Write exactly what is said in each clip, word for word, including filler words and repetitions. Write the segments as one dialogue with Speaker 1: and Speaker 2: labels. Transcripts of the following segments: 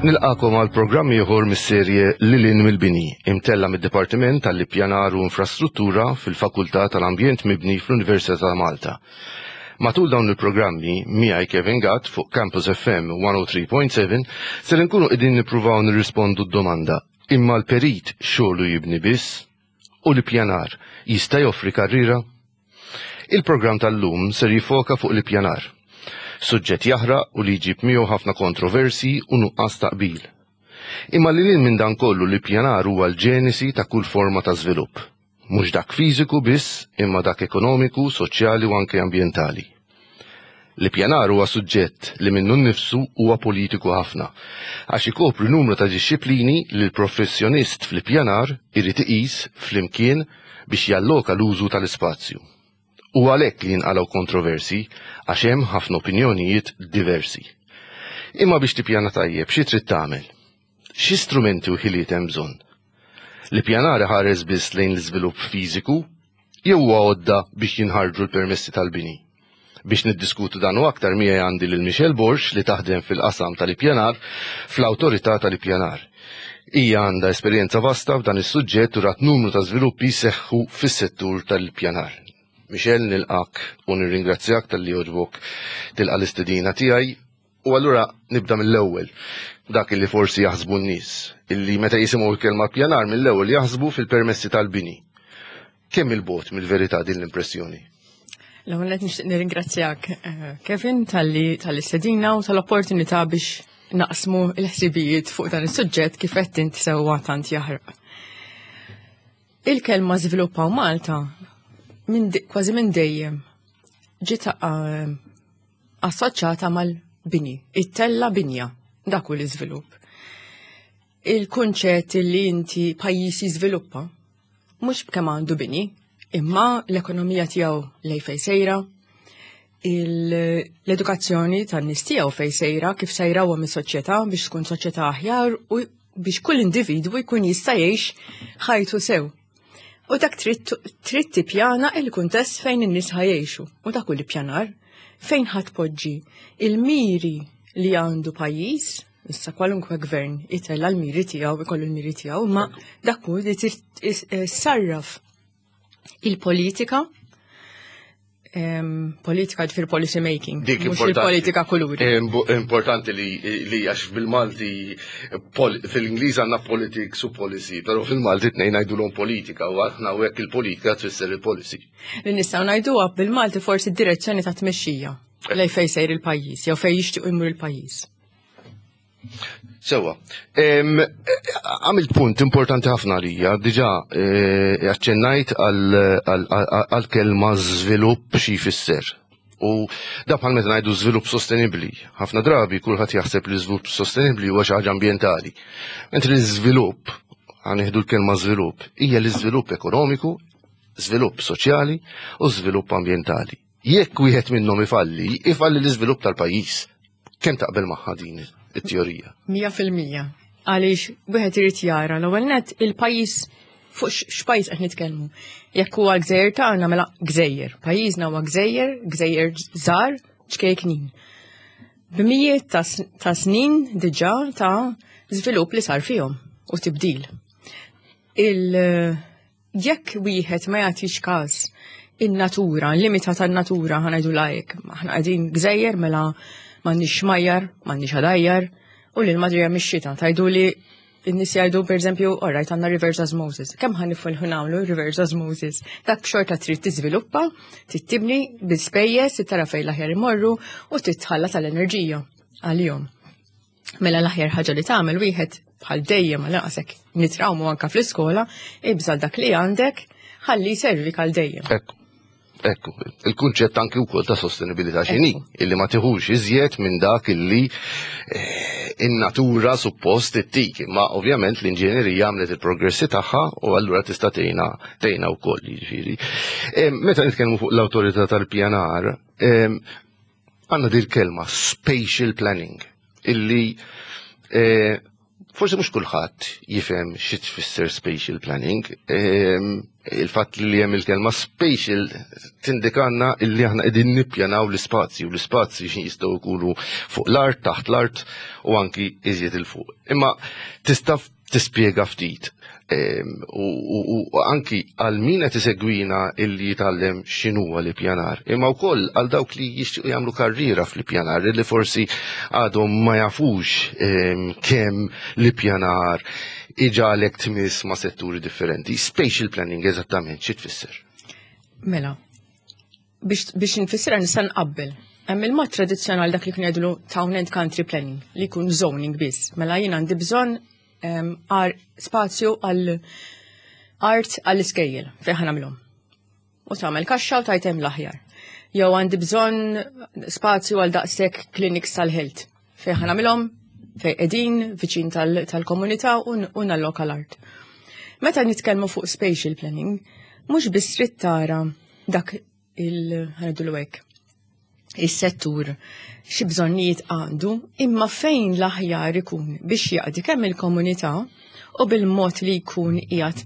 Speaker 1: Nilqagħkom għal programm ieħor mis-serje Lil hinn mill-Bini, imtella' mid-Dipartiment tal-Ippjanar u Infrastruttura fil-Fakultà tal-Ambjent Mibni fl-Università ta' Malta. Matul dawn il-programmi, miegħi Kevin Gatt fuq Campus F M mija u tlieta punt seba' ser nkunu qegħdin nippruvaw nirrispondu d-domanda: imma l-perit xogħlu jibni biss? U l-ippjanar jista' joffri karriera? Il-programm tal-lum ser jiffoka fuq l-ippjanar. Suġġett jaħraq u li jġib miegħu ħafna kontroversi u nuqqas ta' qbil. Imma li lil minn dan kollu, l-ippjanar huwa l-ġenesi ta' kull forma ta' żvilupp. Mhux dak fiżiku biss, imma dak ekonomiku, soċjali u anke ambjentali. L-ippjanar huwa suġġett li minnu nnifsu huwa politiku ħafna, għax ikopri numru ta' disċiplini li l-professjonist fl-ippjanar irid iqis flimkien biex jalloka l-użu tal-ispazju. U għalhekk li jinqalgħu kontroversi, għax hemm ħafna opinjonijiet diversi. Imma biex tippjana tajjeb, xi trid tagħmel? Xi strumenti u ħiliet hemm bżonn? L-ippjanar ħares biss lejn l-iżvilupp fiżiku jew huwa għodda biex jinħarġu l-permessi tal-bini? Biex niddiskutu dan u aktar, miegħi għandi lil Michelle Borg, li taħdem fil-qasam tal-ippjanar fl-Awtorità tal-Ippjanar. Hija għandha esperjenza vasta f'dan is-suġġett u rat numru ta' żviluppi seħħu fis-settur tal-ippjanar. Michelle, nilqgħek u nirringrazzjak talli għoġbok tilqa' l-istedina tiegħi. U allura nibda mill-ewwel. Dak li forsi jaħsbu n-nies, illi meta jisimgħu l-kelma pjanar mill-ewwel jaħsbu fil-permessi tal-bini. Kemm 'il bogħod mill-verità din l-impressjoni?
Speaker 2: L-ewwel qed nixtieq nirringrazzjak, eh, Kevin, talli tal-istedina u tal-opportunità biex naqsmu l-ħsibijiet fuq dan is-suġġett, kif qed int sewwa, tant jaħraq. Il-kelma żviluppaw Malta minn kważi minn dejjem ġiet eh, assoċjata mal-bini, it-tella binja, dak hu l-iżvilupp. Il-kunċett li inti pajjiż jiżviluppa mhux b'kemm għandu bini, imma l-ekonomija tiegħu lejn fejn sejra, l-edukazzjoni tan-nies tiegħu fejn sejra, kif sejra huwa mis-soċjetà biex tkun soċjetà aħjar u biex kull individwu jkun jista' jgħix ħajtu sew. U dak trid tippjana il-kuntest fejn in-nies ħa jgħixu. U dak hu l-ippjanar, fejn ħa tpoġġi il-miri li għandu pajjiż. Issa kwalunkwe gvern itella l-miri tiegħu, ikollu l-miri tiegħu, ma dak hu li sarraf il-politika, politika ġifier policy making,
Speaker 1: Dik
Speaker 2: mhux il-politika kuluri.
Speaker 1: Importanti li li għax bil-Malti, fil-Ingliż għandna politics u policy, però fil-Malti tnejn ngħidulhom politika u aħna u hekk il-politika tfisser il-policy.
Speaker 2: Li nistgħu ngħiduha bil-Malti forsi direzzjoni ta' tmexxija lejn fejn sejr il-pajjiż jew fejn jixtiequ jmur il-pajjiż.
Speaker 1: Sewwa, għamilt punt importanti ħafna għalija, diġà eh, aċċennajt għal-kelma żvilupp, xi jfisser. U da bħal meta ngħidu żvilupp sostenibbli. Ħafna drabi kulħadd jaħseb li żvilupp sostenibbli huwa xi ħaġa ambjentali. Mentri l-żvilupp, ħa nieħdu l-kelma żvilupp, hija l-iżvilupp ekonomiku, żvilupp soċjali u żvilupp ambjentali. Jekk wieħed minnhom ifalli, ifalli l-iżvilupp tal-pajjiż. Kemm taqbel magħha din it-teorija?
Speaker 2: Mija fil-mija. Għaliex wieħed irid jara l-ewwel net il-pajjiż, fuq x'pajjiż qed nitkellmu. Jekk huwa gżejjer tagħna, mela gżejjer. Pajjiżna huwa gżejjer, gżejjer żgħar, ċkejknin. B'mijiet ta' snin diġà ta' żvilupp li sar fihom u tibdil. Il jekk wieħed ma jagħtix każ in-natura, l-limita tan-natura, ħa ngħidu lajk, aħna qegħdin gżejjer, mela m'għandniex xmajjar, m'għandniex għadajjar, u li l-madrija mix-xita. Tajdu li n-nies jgħidu, per eżempju, alright, għandna reverse osmosis. Kemm ħa nifilħu nagħmlu reverse osmosis? Dak xorta trid tiżviluppa, trid tibni bi spejjeż, tara fejn l-aħjar imorru u titħalla tal-enerġija għalihom. Mela l-aħjar ħaġa li tagħmel wieħed, bħal dejjem għal naqsek nitrawmu anka fl-iskola, ibżal dak li għandek ħalli jservik għal dejjem.
Speaker 1: Ekku. Ekku, il-kunċett anki wkoll ta' sostenibilità x'inhi, illi ma tiħux iżjed minn dak illi eh, in-natura suppost ittik, ma ovvjament l-inġenerija għamlet il-progressi tagħha u allura tista' tgħinna tgħinna wkoll jiġifieri. Eh, meta nitkellmu fuq l-Awtorità tal-Pjanar, eh, għandna dil kelma spatial planning illi Forsi mhux kulħadd jifhem xi tfisser spatial planning. Ehm, il-fatt li hemm il-kelma spatial tindikanna illi aħna qegħdin nippjanaw l-ispazji u l-ispazji jistgħu jkunu fuq l-art, taħt l-art u anki iżjed 'il fuq. Imma tista' tispjega ftit ehm, u anki għal min qed isegwina illi jitgħallem x'inhuwa l-ippjanar, imma wkoll għal dawk li jixtiequ jagħmlu karriera fl-ippjanar illi forsi għadhom ma jafux ehm, kemm l-ippjanar iġagħlek tmiss ma' setturi differenti. Spatial planning eżattament xi tfisser?
Speaker 2: Mela, biex, biex nfissirha nista' nqabbel. Hemm il-mod tradizzjonali, dak li kien jgħidulu town and country planning, li jkun zoning biss. Mela jien għandi bżonn għar spazju għal art għall-iskejjel fejn ħa nagħmilhom. U tagħmel kaxxa u tajtem l-aħjar. Jew għandi bżonn spazju għal daqshekk clinics tal-health fejn ħa nagħmilhom, fejn qegħdin viċin tal-komunità u nalloka l-art. Meta nitkellmu fuq spatial planning, mhux biss trid tara dak il ħa ngħidulu hekk, is-settur xi bżonnijiet għandu, imma fejn l-aħjar ikun biex jaqdi kemm il-komunità u bil-mod li jkun qiegħed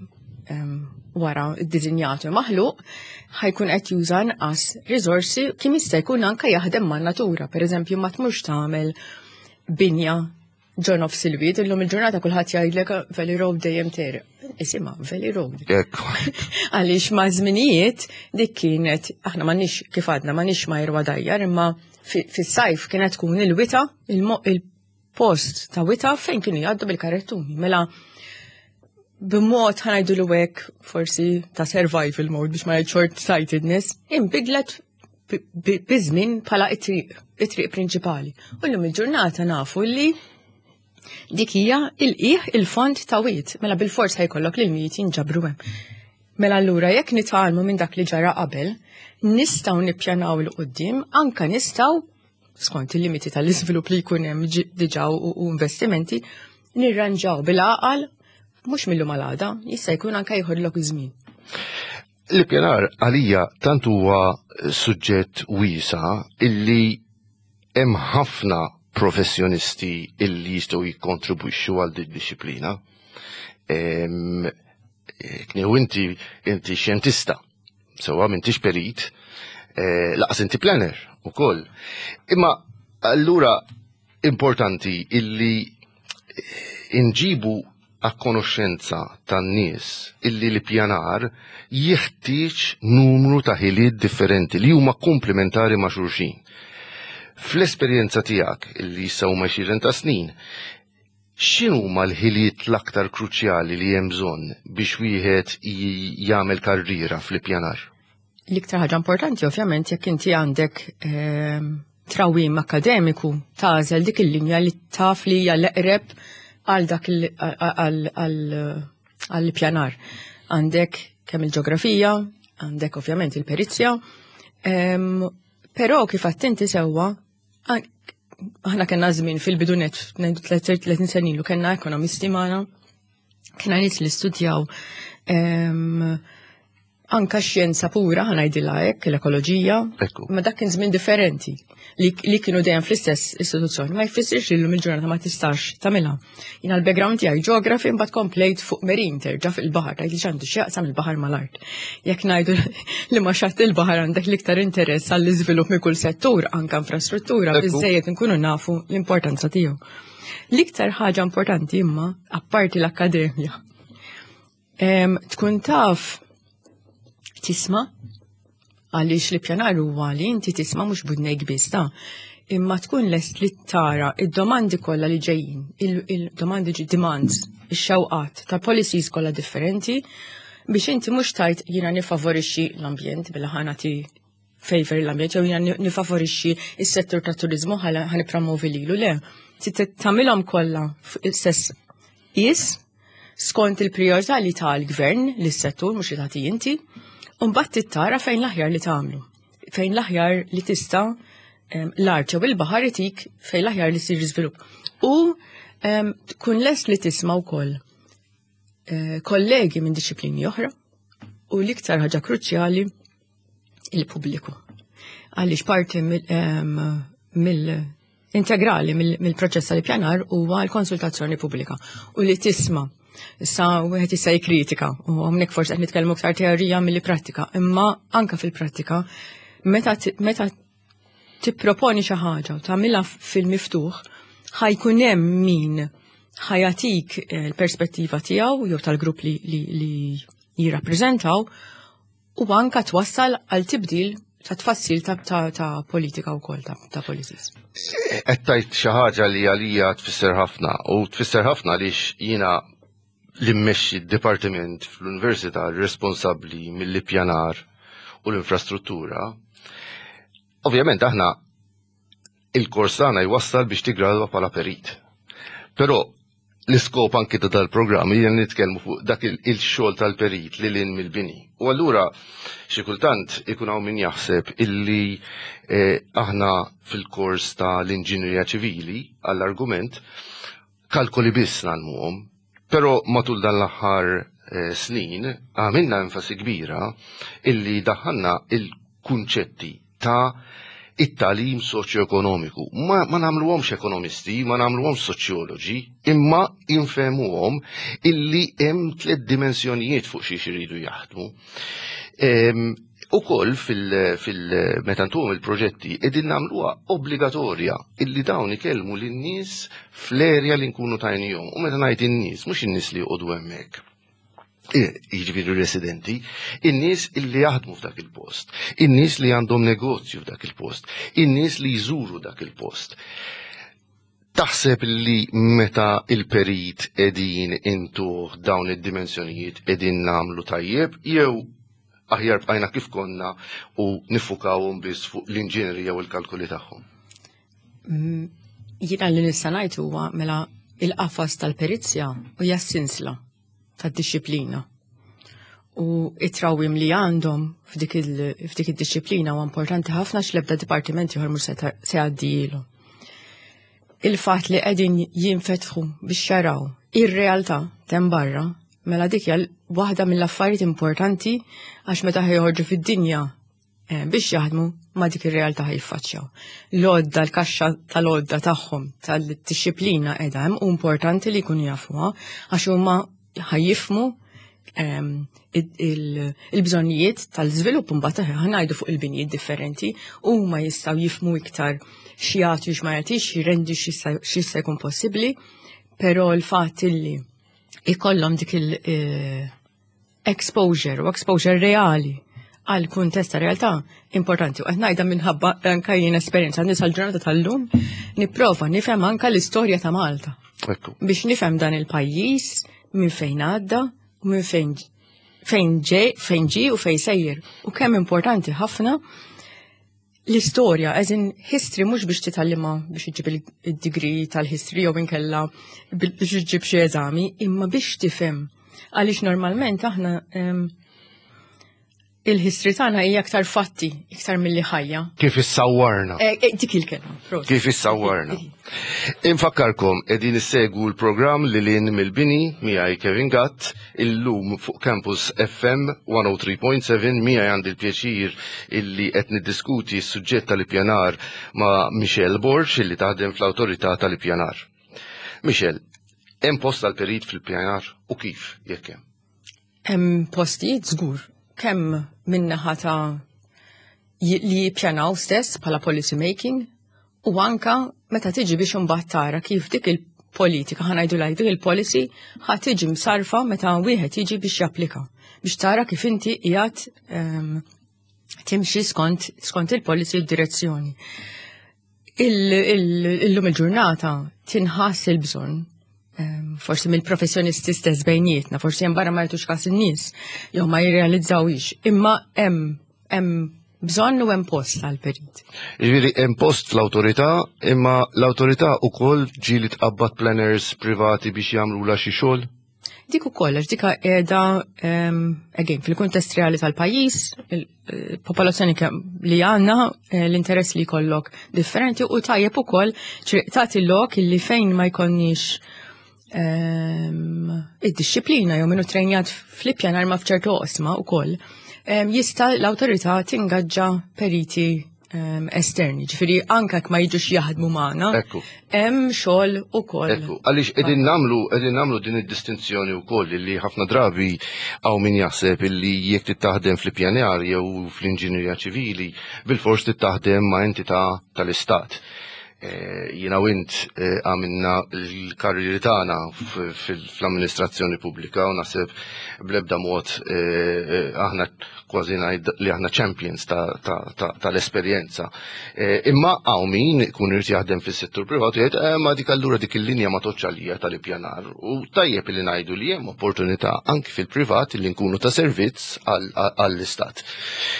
Speaker 2: wara ddisinjatu maħluq ħa jkun qed juża nqas riżorsi, kien jista' jkun anke jaħdem man-natura. Pereżempju, ma tmurx tagħmel binja ġo nofs il-wied. Illum il-ġurnata kulħadd jgħidlek Valley Road dejjem tegħreq. Isimha Valley Road. Għaliex ma' żminijiet dik kienet, aħna m'għandniex, kif għadna, m'għandniex ma jirwa imma fis-sajf kienet tkun il-wita, il-post ta' wita fejn kienu jgħaddu bil-karettuni. Mela b'mod, ħa ngħidu hekk, forsi ta' survival mode, biex ma short sightedness, inbidlet biż-żmien bħala it-triq, it-triq prinċipali. U llum il-ġurnata nafu li dik hija il-qiegħ il-fond ta' wied, mela bil-fors ħa jkollok li l-mijiet jinġabru hemm. Mela allura jekk nitgħallmu minn dak li ġara qabel, nistgħu nippjanaw 'il quddiem, anka nistgħu, skont il-limiti tal-iżvilupp li jkun hemm diġà u investimenti, nirranġaw bil-għaqal, mhux mill-lum għal għada, jista' jkun anka jieħodlok iż-żmien.
Speaker 1: L-ippjanar għalija tant huwa suġġett wiesa' illi hemm ħafna professjonisti illi jistgħu jikkontribwixxu għal din dixxiplina. Kniew inti inti xjentista, sewwa, m'intix perit, eh, lanqas inti planner ukoll. Imma allura importanti illi inġibu a konoxxenza tan-nies illi l-pjanar jeħtieġ numru ta' ħiliet differenti li huma komplementari ma' xulxin. Fl-esperjenza tiegħek illi issa huma għexieren ta' snin, x'inhuma l-ħiliet l-aktar kruċjali li hemm bżonn biex wieħed jagħmel karriera fl-ippjanar?
Speaker 2: L-iktar ħaġa importanti, ovvjament, jekk inti għandek ehm, trawim akademiku, tagħżel dik il-linja li taf li hija l-eqreb għal dak għall-pjanar. Għandek kemm il-ġeografija, għandek ovvjament il-perizja, ehm, però kif attenti sewwa, aħna kellna żmien fil-bidunet, tletin sena ilu, kellna ekonomisti magħna, kellna nies li studjaw ehm, anka xjenza pura, ħa ngħidilha hekk, l-ekoloġija, ma dak kien żmien differenti li, li kienu dejjem fl-istess istituzzjoni. Ma jfissirx li llum il-ġurnata ma tistax tagħmilha. Jiena l-background tiegħi geography, mbagħad komplejt fuq marine, terġa' fuq il-baħar, tgħid li x'għandu x'jaqsam il-baħar mal-art. Jekk ngħidu li ma xatt il-baħar għandek l-iktar interess għall-iżvilupp minn kull settur, anka infrastruttura, biżejjed nkunu nafu l-importanza tiegħu. L-iktar ħaġa importanti imma, apparti l-akkademja, tkun taf tisma', għaliex l-ippjanar huwa li inti tisma' mhux b'widnejk biss ta' imma tkun lest li tara id-domandi kollha li ġejjin, il-domandi, demands, ix-xewqat ta' policies kollha differenti, biex inti mhux tgħid jiena nifavorixxi l-ambjent billi ħa nagħti favor l-ambjent jew jiena nifavorixxi is-settur ta' turizmu ħa nippromovi lilu, le. Tagħmilhom kollha stess is skont il-priorità li tal-gvern lis-settur, mhux li tagħti inti, u mbagħad tara fejn l-aħjar li tagħmlu. Fejn l-aħjar li tista' l-art jew il-baħar itik fejn l-aħjar li sir żvilupp. U tkun lest li tisma' wkoll eh, kollegi minn disċiplini oħra u l-iktar ħaġa kruċjali, il-pubbliku. Għaliex parti mill integrali mill-proċess tal-ippjanar huwa l-konsultazzjoni pubblika u li tisma'. Issa wieħed jista' jikkritika u hawnhekk forsi qed nitkellmu aktar teorija milli prattika, imma anka fil-prattika meta meta tipproponi xi ħaġa u tagħmilha fil-miftuħ, ħa jkun hemm min ħa jagħtik eh, l-perspettiva tiegħu jew tal-grupp li, li, li jirrappreżentaw u anka twassal għal tibdil ta' tfassil ta', ta, ta politika wkoll ta', ta' policies.
Speaker 1: Qed tgħid xi ħaġa li għalija tfisser ħafna u tfisser ħafna għaliex jiena li mmexxi d-dipartiment fl-università responsabbli mill-ippjanar u l-infrastruttura. Ovvjament aħna il-kors tagħna jwassal biex tigradwa bħala perit. Però l-iskop anki ta' dal-programm hija nitkellmu fuq dak il-xogħol tal-perit lil hinn mill-bini. U allura xi kultant ikun hawn min jaħseb illi eh, aħna fil-kors ta' l-inġinerija ċivili, għall-argument, kalkoli biss nagħmluhom. Però matul dan l-aħħar eh, snin għamilna enfasi kbira illi daħħalna il-kunċetti ta' it-tagħlim soċjoekonomiku. Ma, ma nagħmluhomx ekonomisti, ma nagħmluhomx soċjoloġi, imma infehmuhom illi hemm tliet dimensjonijiet fuq xiex iridu jaħdmu. Ehm, Ukoll fil, fil meta ntuhom il-proġetti qegħdin nagħmluha obbligatorja illi dawn ikellmu lin-nies fl-erja li nkunu tajnihom. U meta ngħid in-nies, mhux in-nies li joqogħdu hemmhekk, jiġifieri residenti, in-nies illi jaħdmu f'dak il-post, in-nies li għandhom negozju f'dak il-post, in-nies li jżuru dak il-post. Taħseb li meta il-perit qegħdin intuh dawn id-dimensjonijiet qegħdin nagħmlu tajjeb jew aħjar bqajna kif konna u niffukawhom biss fuq l-inġinerija u l-kalkoli tagħhom?
Speaker 2: Mm, jiena li nista' ngħid huwa, mela, il-qafas tal-perizja u hija sinsla tad-dixxiplina. U it-trawim li għandhom f'dik id-dixxiplina huwa importanti ħafna, x'lebda dipartiment ieħor mhux se jgħaddilu. Il-fatt li qegħdin jinfetħu biex jaraw ir-realtà t'hemm barra, mela dik hija waħda mill-affarijiet importanti, għax meta ħa joħorġu fid-dinja eh, biex jaħdmu ma' dik ir-realtà ħa jiffaċċjaw. L-għodda, l-kaxxa tal-għodda tagħhom tal-dixxiplina qiegħda hemm u importanti li jkunu jafuha għax huma ħa jifhmu ehm, il-bżonnijiet tal-żvilupp, mbagħad ħa ngħidu fuq il-binjiet differenti, huma jistgħu jifhmu iktar x'jagħti, x'ma jagħtix, x'jirendi, x'jista' jkun possibbli, però l-fatt illi ikollhom dik il-exposure u exposure reali għal kuntest ta' realtà importanti. U qed ngħidha minħabba anka jien esperjenza nies ġurnata tal-lum nipprova nifhem anka l-istorja ta' Malta. Biex nifhem dan il-pajjiż minn fejn għadda u minn fejn fejn ġej, fejn ġi u fejn sejjer. U kemm importanti ħafna l-istorja, as in history, mhux biex titgħallimha biex iġib il-degree tal-history jew inkella biex iġib xi eżami, imma biex tifhem. Għaliex normalment aħna il-history tagħna hija aktar fatti, iktar milli ħajja.
Speaker 1: Kif issawwarna.
Speaker 2: Eh, eh, dik il-kelma.
Speaker 1: Kif issawwarna. Infakkarkom qegħdin issegwu l-programm Lil Hinn mill-Bini miegħi Kevin Gatt illum fuq Campus F M mija u tlieta punt seba'. Miegħi għandi l-pjaċir illi qed niddiskuti s-suġġett tal-ippjanar ma' Michelle Borg, illi taħdem fl-Awtorità tal-Ippjanar. Michelle, hemm post għal-perit fil-pjanar u kif jekk hemm?
Speaker 2: Hemm postijiet żgur, kemm min-naħa ta' li jippjanaw stess bħala policy making u anka meta tiġi biex imbagħad tara kif dik il-politika, ħa ngħidu dik il-policy, ħa tiġi msarfa meta wieħed jiġi biex japplika, biex tara kif inti qiegħed um, timxi skont, skont il-policy u d-direzzjoni. Illum il-ġurnata tinħass il-bżonn, forsi mill-professjonisti stess bejnietna, forsi hemm barra ma jagħtux każ in-nies jew ma jirrealizzawix, imma hemm hemm bżonn u hemm post għal-perit.
Speaker 1: Jiġifieri hemm post fl-awtorità, imma l-awtorità ukoll ġieli tqabbad planners privati biex jagħmlu xi xogħol?
Speaker 2: Dik ukoll, għax dika qiegħda, again, fil-kuntest reali tal-pajjiż, il-popolazzjoni li għandna, eh, l-interess li jkollok differenti u tajjeb ukoll tagħti lok illi fejn ma jkollniex id-dixxiplina jew minnu trenjat fl-ippjanar ma f'ċertu oqsma ukoll, jista' l-awtorità tingaġġa periti um, esterni. Ġifieri anka jekk ma jiġux jaħdmu magħna,
Speaker 1: Ekku.
Speaker 2: hemm xogħol ukoll.
Speaker 1: Ekku, għaliex qegħdin nagħmlu qegħdin nagħmlu din id-distinzjoni wkoll li ħafna drabi hawn min jaħseb illi jekk taħdem fl-ippjanar jew fl-inġinerija ċivili, bil-fors taħdem ma' entità tal-istat. Eh, Jiena u int eh, għamilna l-karrieri tagħna f- fil- fl-amministrazzjoni pubblika u naħseb bl-ebda mod eh, eh, aħna kważi ngħid li aħna champions ta- ta- ta- tal-esperjenza. Eh, Imma hawn min ikun irid jaħdem fis-settur privat u jgħid "Eh, ma dik allura dik il-linja ma tgħoddx għalija tal-ippjanar." U tajjeb li ngħidu li hemm opportunità anki fil-privat li nkunu ta' servizz għall- għall-istat.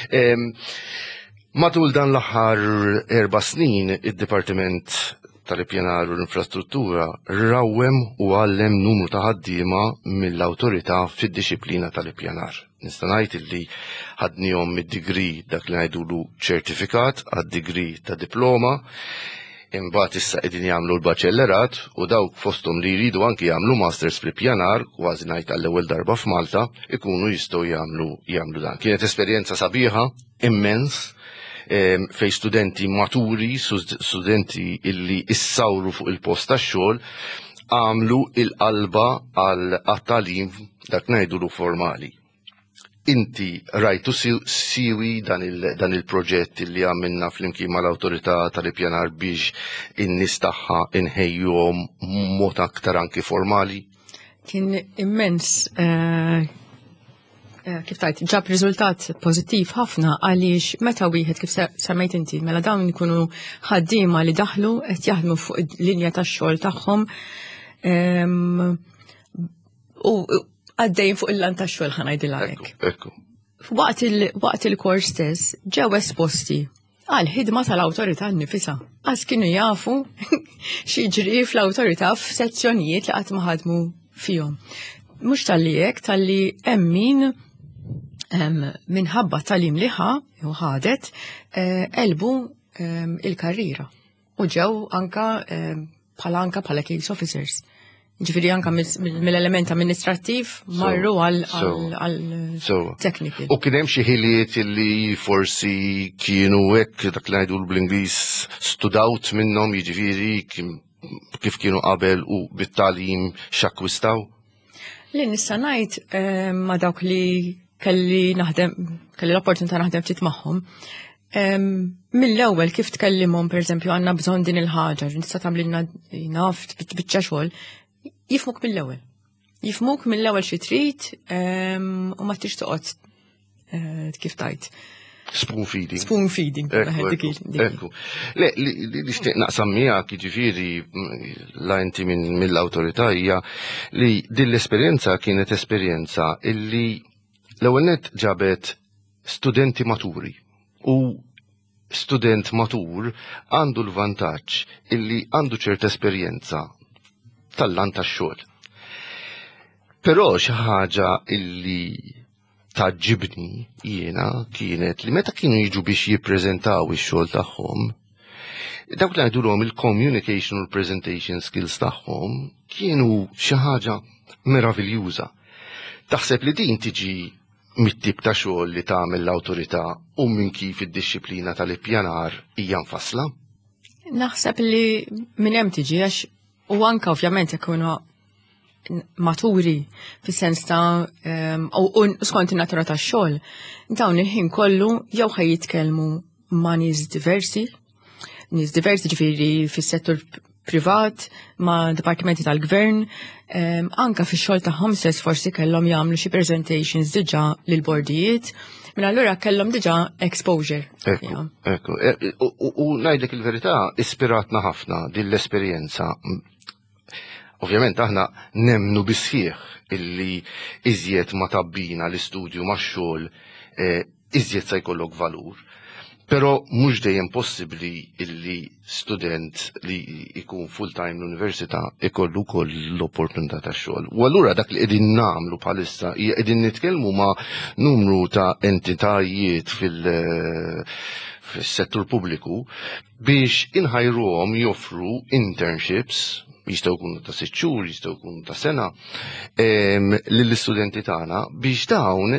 Speaker 1: Em, Matul dan l-aħħar erba' snin, id-Dipartiment tal-Ippjanar u l-Infrastruttura rawwem u għallem numru ta' ħaddiema mill-awtorità fid-dixxiplina tal-ippjanar. Nista' ngħid illi ħadnihom mid-degree, dak li ngħidulu ċertifikat, għad-degree ta' diploma, imbagħad issa qegħdin jagħmlu l-baċellerat u dawk fosthom li jridu anki jagħmlu masters fl-ippjanar, kważi ngħid għall-ewwel darba f'Malta, ikunu jistgħu jagħmlu jagħmlu dan. Kienet esperjenza sabiħa immens em, fej studenti maturi, studenti illi issawru fuq il-post tax-xogħol, għamlu il-qalba għal tagħlim dak ngħidulu formali. Inti rajtu siwi dan il- dan il-proġett li għamilna flimkien mal-awtorità tal-ippjanar biex in-nies tagħha inħejjuhom mod aktar anki formali?
Speaker 2: Kien immens, eh, eh, kif tajt, ġab riżultat pożittiv ħafna għaliex meta wieħed, kif se- semmejt inti, mela dawn ikunu ħaddiema li daħlu qed jaħdmu fuq il-linja tax-xogħol tagħhom em, u u għaddejn fuq il-lan tax-xogħol, ħa ngħidilha
Speaker 1: Ekku,
Speaker 2: hekk.
Speaker 1: ekku.
Speaker 2: Waqt il- waqt il-kors stess ġew esposti għal ħidma tal-awtorità nnifisha. Għax kienu jafu x'jiġri fl-awtorità f'sezzjonijiet li qatt ma ħadmu fihom. Mhux talli hekk, talli hemm min em, minħabba tagħlim li ħa, jew ħadet, eh, elbu em, il-karriera. U ġew anka em, bħala anka bħala case officers. Ġifieri anka mill- mill-element amministrattiv marru għal
Speaker 1: so,
Speaker 2: għal
Speaker 1: So,
Speaker 2: technical.
Speaker 1: U kien hemm xi ħiliet li forsi kienu hekk dak li ngħidu bl-Ingliż stood out minnhom, jiġifieri kien- kif kienu qabel u bit-tagħlim x'akkwistaw?
Speaker 2: Li nista' ngħid eh, ma' dawk li kelli naħdem, kelli l-opportunità naħdem ftit magħhom. em, Mill-ewwel kif tkellimhom, pereżempju, għandna bżonn din il-ħaġa, nista' tagħmlilna naf biċċa xogħol, jifhmuk mill-ewwel. Jifhmuk mill-ewwel xi trid em, u ma tix toqgħod eh, kif tajt.
Speaker 1: Spoon feeding.
Speaker 2: Spoon feeding.
Speaker 1: Ekku,
Speaker 2: dik
Speaker 1: ekku,
Speaker 2: il- dik il.
Speaker 1: ekku. Le, li li nixtieq naqsam miegħek, jiġifieri mm, la inti minn mill-awtorità, hija li din l-esperjenza kienet esperjenza illi l-ewwel nett ġabet studenti maturi, u student matur għandu l-vantaġġ illi għandu ċerta esperjenza tal-lan tax-xogħol. Però xi ħaġa illi tgħaġġibni jiena kienet li meta kienu jiġu biex jippreżentaw ix-xogħol tagħhom, dawk li ngħidulhom il-communication u l-presentation skills tagħhom kienu xi ħaġa meraviljuża. Taħseb li din tiġi mit-tip ta' xogħol li tagħmel l-awtorità u minn kif id-dixxiplina tal-ippjanar hija mfassla?
Speaker 2: Naħseb li minn hemm tiġi, għax u anka ovvjament ikunu maturi fis-sens ta' em, u u skont in-natura tax-xogħol, dawn il-ħin kollu jew ħaj jitkellmu ma' nies diversi, nies diversi ġifieri fis-settur privat, ma' dipartimenti tal-gvern, em, anka fix-xogħol tagħhom stess forsi kellhom jagħmlu xi presentations diġà lil bordijiet, minn allura kellhom diġà exposure.
Speaker 1: Ekku,
Speaker 2: Ja.
Speaker 1: ekku. E, U u- u ngħidlek il-verità, ispiratna ħafna din l-esperjenza. Ovvjament aħna nemnu bis-sħiħ illi iżjed ma tabbina l-istudju ma' xogħol, eh, iżjed se jkollok valur. Però mhux dejjem possibbli illi student li jkun full-time l-università ikollu wkoll l-opportunità ta' xogħol. U allura dak li qegħdin nagħmlu bħalissa hija qegħdin nitkellmu ma' numru ta' entitajiet fil- fis-settur pubbliku biex inħajruhom joffru internships. Jistgħu jkunu ta' sitt xhur, jistgħu jkunu ta' sena, lill-istudenti tagħna biex dawn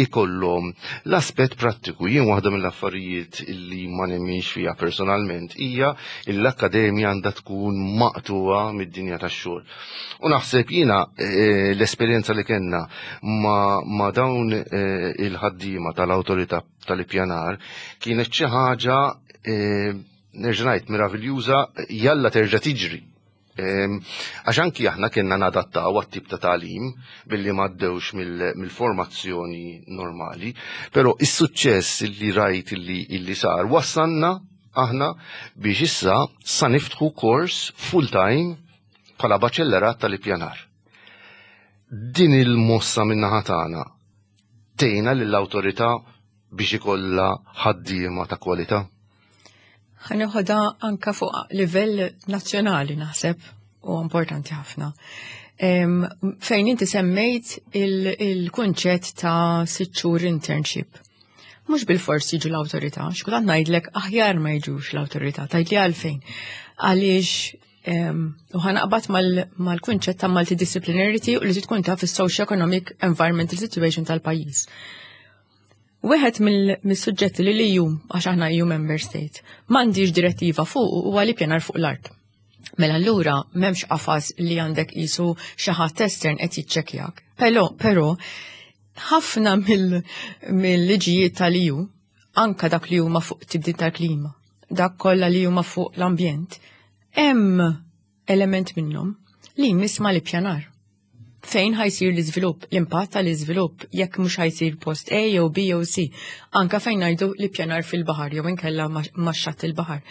Speaker 1: ikollhom l-aspett prattiku. Jien waħda mill-affarijiet illi ma nemminx fiha personalment hija l-akkademja għandha tkun maqtuha mid-dinja tax-xogħol. U naħseb jiena eh, l-esperjenza li kellna ma dawn eh, il-ħaddiema tal-awtorità tal-ippjanar kienet xi ħaġa eh, nerġa' ngħid meraviljuża, jalla terġa' tiġri. Għax anki aħna kienna nadattaw għat-tip ta' tagħlim billi m'għaddewx mill-formazzjoni normali, però is-suċċess li rajt illi sar wassanna aħna biex issa sa niftħu kors full-time bħala baċellerat tal-ippjanar. Din il-mossa min-naħa tagħna tgħinna lill-awtorità biex ikollha ħaddiema ta' kwalità?
Speaker 2: Ħa neħodha anka fuq livell nazzjonali, naħseb u importanti ħafna. Fejn inti semmejt il-kunċett ta' sitt xhur internship. Mhux bil-fors jiġu l-awtorità, xkultant ngħidlek aħjar ma jiġux l-awtorità, tgħidli għalfejn. Għaliex u ħa naqbad mal-kunċett ta' multidisciplinarity u li tkun taf is-socio-economic environmental situation tal-pajjiż. Wieħed mill-suġġetti li l-E U, għax aħna E U member state, m'għandix direttiva fuq huwa l-ippjanar fuq l-art. Mela allura m'hemmx qafas li għandek qisu xi ħadd estern qed jiċċekkjak. Però, però ħafna mill-liġijiet tal-E U, anka dak li huma fuq tibdil tal-klima, dak kollha li huma fuq l-ambjent, hemm element minnhom li jmiss mal-ippjanar. Fejn ħa jsir l-iżvilupp, l-impatt tal-iżvilupp, jekk mhux ħa jsir post A jew B jew C, anka fejn ngħidu l-ippjanar fil-baħar jew inkella max-xatt il-baħar.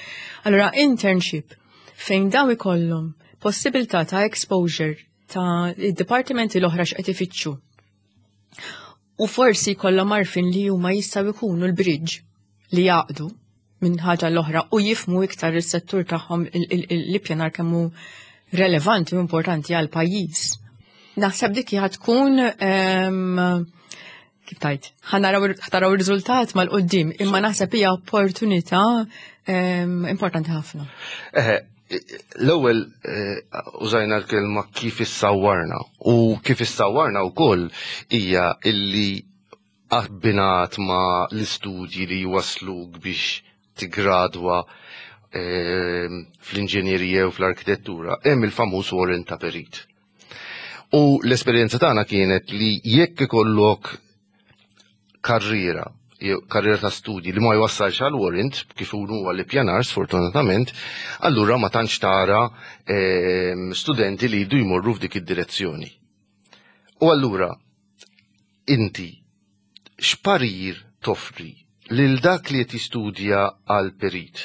Speaker 2: Allura internship fejn daw ikollhom possibilità ta' exposure ta' id-dipartimenti l-oħra x'qed ifittxu. U forsi jkollhom għarfien li huma jistgħu jkunu l-bridge li jaqdu minn ħaġa l-oħra u jifhmu iktar is-settur tagħhom, l-ippjanar, kemm hu relevanti u importanti għal pajjiż. Naħseb dik hija tkun, kif tgħid, ħa naraw ir-riżultat mal-qoddim, imma naħseb hija opportunità importanti ħafna.
Speaker 1: L-ewwel eh, użajna l-kelma "kif issawwarna", u kif issawwarna wkoll hija illi abbinat ma l-istudji li wasluk biex tigradwa ehm, fl-inġenjerija u fl-arkitettura, hemm il-famuż warrant ta' perit. U l-esperjenza tagħna kienet li jekk ikollok karriera jew karriera ta' studji li ma jwassalx għal warrant, kif huwa l-ippjanar sfortunatament, allura ma tantx tara ehm, studenti li jridu jmorru f'dik id-direzzjoni. U allura inti x'parir toffri lil dak li qed jistudja għal perit?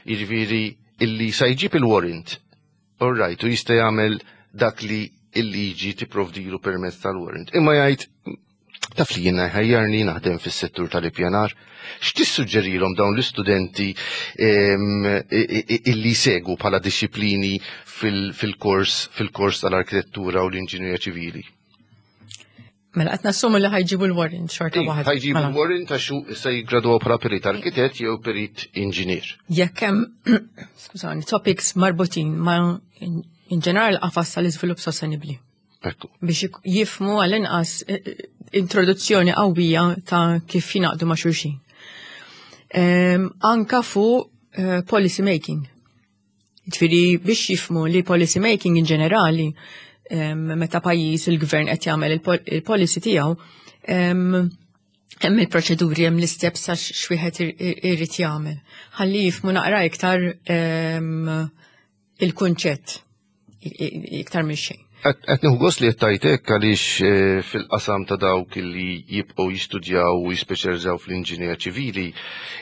Speaker 1: Jiġifieri illi sa jġib il-warrant, all right, u jista' jagħmel dak li il-liġi tipprovdilu permezz tal-warrant. Imma jgħid, "Taf li jiena ħajjarni naħdem fis-settur tal-ippjanar." X'tissuġġerilhom dawn l-istudenti illi segu bħala disċiplini fil-kors fil-kors tal-arkitettura u l-inġinerija ċivili?
Speaker 2: Mela qed nassumu li ħa jġibu l-warrant xorta waħda.
Speaker 1: Ħa jġibu
Speaker 2: Mela.
Speaker 1: l-warrant għax se jigradwaw bħala perit arkitett jew perit inġinier.
Speaker 2: Jekk hemm, skużani, topics marbutin ma' in ġenerali qafas tal-iżvilupp sostenibbli.
Speaker 1: Ekku.
Speaker 2: Biex jik- jifhmu għall-inqas eh, eh, introduzzjoni qawwija ta' kif jingħaqdu ma' xulxin. Em, Anka fuq eh, policy making. Ġifieri biex jifhmu li policy making in ġenerali, em, meta pajjiż, il-gvern qed jagħmel il-pol- il-policy tiegħu, em, hemm il-proċeduri, hemm l-isteps għax x'wieħed ir- ir- irid jagħmel. Ħalli jifhmu naqra iktar em, il-kunċett i- i- iktar minn xejn.
Speaker 1: Qed nieħu gost li qed tajtek għaliex eh, fil-qasam ta' dawk li jibqgħu jistudjaw u jispeċjalizzaw fl-inġinjerija ċivili,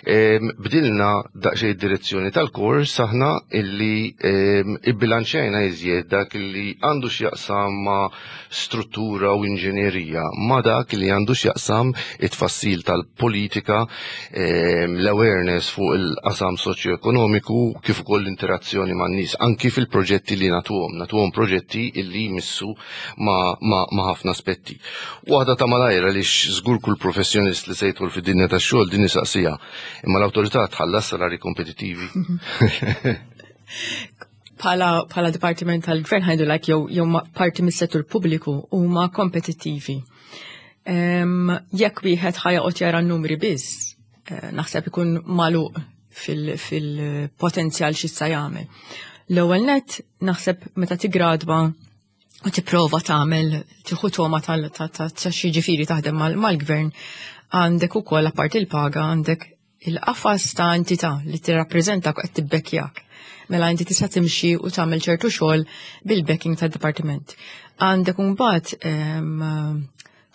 Speaker 1: em, bdilna daqsxejn id-direzzjoni tal-kors aħna illi em, ibbilanċjajna iżjed dak illi għandu x'jaqsam ma' struttura u inġinerija ma' dak li għandu x'jaqsam it-tfassil tal-politika, em, l-awareness fuq il-qasam soċjoekonomiku kif ukoll l-interazzjoni man-nies anki fil-proġetti li nagħtuhom, nagħtuhom proġetti illi jmissu ma, ma, ma ħafna aspetti. Waħda ta' malajra li żgur kull professjonist li se jidħol fid-dinja tax-xogħol din isaqsija. Imma l-awtorità tħallas salari kompetittivi?
Speaker 2: Bħala bħala dipartiment tal-gvern ħajdu like jew jew ma- parti mis-settur pubbliku huma kompetittivi. Em, Jekk wieħed ħa joqgħod jara n-numri biss, eh, naħseb ikun magħluq fil-potenzjal x'jista' jagħmel. L-ewwel net naħseb meta tigradwa u tipprova tagħmel tieħu toma tal ta' ta' ta' xi ġifieri taħdem mal- mal-gvern għandek ukoll apparti il-paga għandek il-qafas ta' entità li tirrappreżenta qed tibbekkjak. Mela inti tista' timxi u tagħmel ċertu xogħol bil-backing tad-dipartiment. Għandek imbagħad em,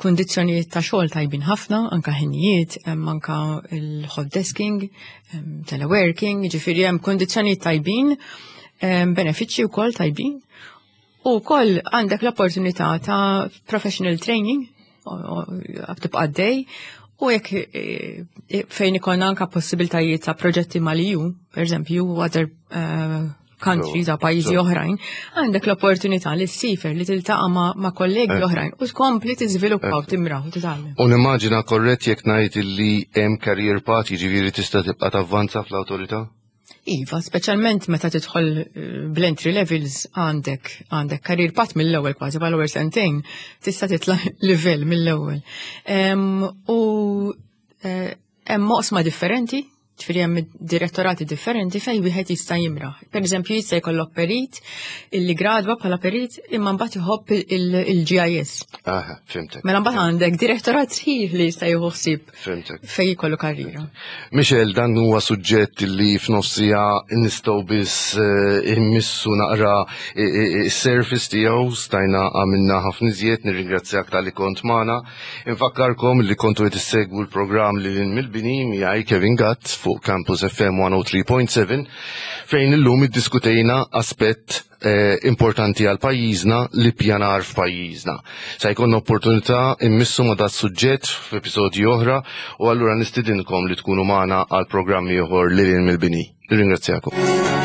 Speaker 2: kundizzjonijiet ta' xogħol tajbin ħafna, anka ħinijiet, hemm anka il-hot desking, em, teleworking, ġifieri hemm kundizzjonijiet tajbin, em, benefiċċji wkoll tajbin. U wkoll għandek l-opportunità ta' professional training, tibqa' għaddej, u jekk eh, fejn ikun anka possibiltajiet ta' proġetti mal-EU, per eżempju, u other eh, countries ta' pajjiżi
Speaker 1: So.
Speaker 2: oħrajn, għandek l-opportunità li ssiefer li tiltaqa' ma', ma' kollegi oħrajn u tkompli tiżviluppa u timraħ u titgħallem.
Speaker 1: U nimmaġina korrett jekk ngħid illi hemm career path, jiġifieri tista' tibqa' tavvanza fl-awtorità?
Speaker 2: Iva, speċjalment meta tidħol eh, bl-entry levels għandek għandek career path mill-ewwel kważi bħal ewwel sentejn tista' titla' livell mill-ewwel. Em, U eh, hemm oqsma differenti, ġifieri hemm direttorati differenti fejn wieħed jista' jimraħ. Per eżempju jista' jkollok perit illi gradwa bħala perit imma mbagħad iħobb il-GIS.
Speaker 1: Aha, fhimtek.
Speaker 2: Mela mbagħad għandek direttorat sħiħ li jista' jieħu ħsieb
Speaker 1: Fhimtek.
Speaker 2: fejn jkollu karriera.
Speaker 1: Michel, dan huwa suġġett li f'nofsija nistgħu biss eh, immissu naqra is-surface tiegħu stajna għamilna ħafna iżjed, nirringrazzjak talli kont magħna. Infakkarkom li kontu qed issegwu l-programm Lil Hinn mill-Bini miegħi Kevin Gatt fuq Campus FM mija u tlieta punt seba' fejn illum iddiskutejna aspett eh, importanti għal pajjiżna l-ippjanar f'pajjiżna. Sa jkollna opportunità immissu ma' dat suġġett f'episodji oħra u allura nistidinkom li tkunu magħna għal programmi oħor Lil Hinn mill-Bini. Nirringrazzjakom.